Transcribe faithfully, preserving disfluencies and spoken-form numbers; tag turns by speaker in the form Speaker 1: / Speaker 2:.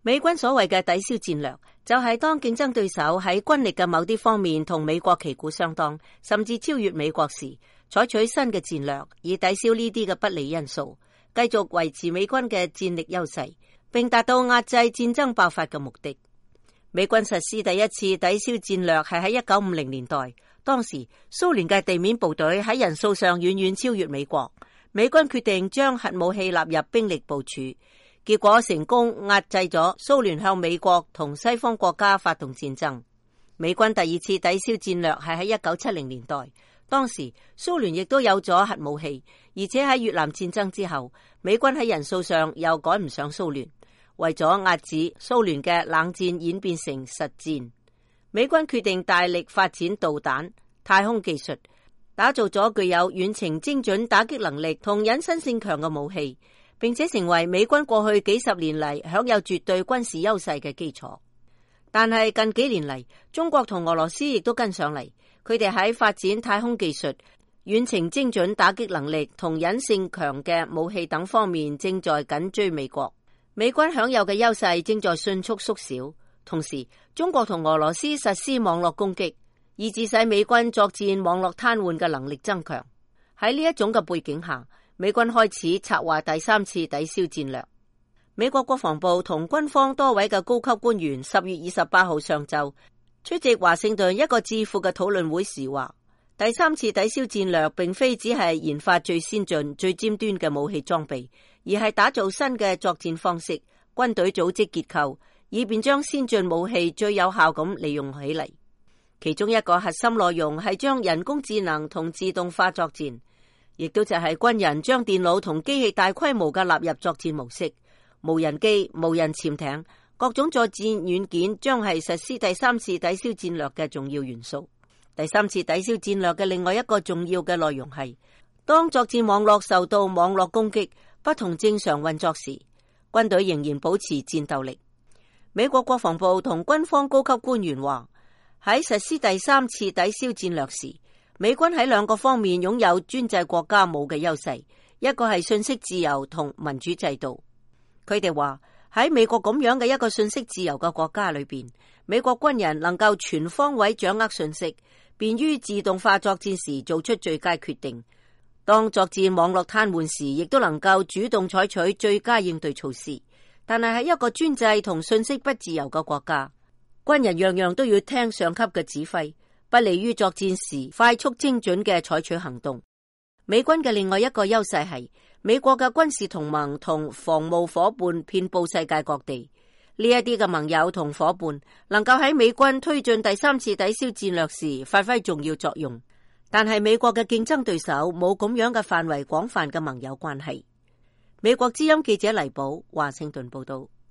Speaker 1: 美軍所謂嘅抵消戰略，就係當競爭對手喺軍力嘅某啲方面同美國旗鼓相當，甚至超越美國時，採取新嘅戰略，以抵消呢啲嘅不利因素，繼續維持美軍嘅戰力優勢，並達到壓制戰爭爆發嘅目的。美軍實施第一次抵消戰略係喺一九五零年代，當時蘇聯嘅地面部隊喺人數上遠遠超越美國，美軍決定將核武器納入兵力部署。結果成功壓制咗蘇聯向美國同西方國家發動戰爭。美軍第二次抵消戰略係喺一九七零年代，當時蘇聯亦都有咗核武器，而且喺越南戰爭之後，美軍喺人數上又趕唔上蘇聯。為咗遏止蘇聯嘅冷戰演變成實戰，美軍決定大力發展導彈、太空技術，打造咗具有遠程精準打擊能力同隱身性強嘅武器，並且成為美軍過去幾十年嚟享有絕對軍事優勢嘅基礎。但係近幾年嚟，中國同俄羅斯亦都跟上嚟，佢哋喺發展太空技術、遠程精準打擊能力同隱性強嘅武器等方面正在緊追美國。美軍享有嘅優勢正在迅速縮小，同時中國同俄羅斯實施網絡攻擊，以致使美軍作戰網絡癱瘓嘅能力增強。喺呢一種嘅背景下，美軍開始策劃第三次抵消戰略。美國國防部同軍方多位嘅高級官員十月二十八號上晝出席華盛頓一個智庫嘅討論會時話，第三次抵消戰略並非只係研發最先進、最尖端嘅武器裝備，而係打造新嘅作戰方式、軍隊組織結構，以便將先進武器最有效咁利用起嚟。其中一個核心內容係將人工智能同自動化作戰，亦都就係軍人將電腦同機器大規模嘅納入作戰模式，無人機、無人潛艇、各種作戰軟件將係實施第三次抵消戰略嘅重要元素。第三次抵消戰略嘅另外一個重要嘅內容係，當作戰網絡受到網絡攻擊不同正常運作時，軍隊仍然保持戰鬥力。美國國防部同軍方高級官員話，喺實施第三次抵消戰略時，美軍喺兩個方面擁有專制國家冇嘅優勢，一個係信息自由同民主制度。佢哋話喺美國咁樣嘅一個信息自由嘅國家裏邊，美國軍人能夠全方位掌握信息，便於自動化作戰時做出最佳決定。當作戰網絡癱瘓時，亦都能夠主動採取最佳應對措施。但係喺一個專制同信息不自由嘅國家，軍人樣樣都要聽上級嘅指揮，不利於作戰時快速精準嘅採取行動。美軍嘅另外一個優勢係美國嘅軍事同盟同防務夥伴遍佈世界各地，呢一啲嘅盟友同夥伴能夠喺美軍推進第三次抵消戰略時發揮重要作用。但係美國嘅競爭對手冇咁樣嘅範圍廣泛嘅盟友關係。美國之音記者黎寶華盛頓報道。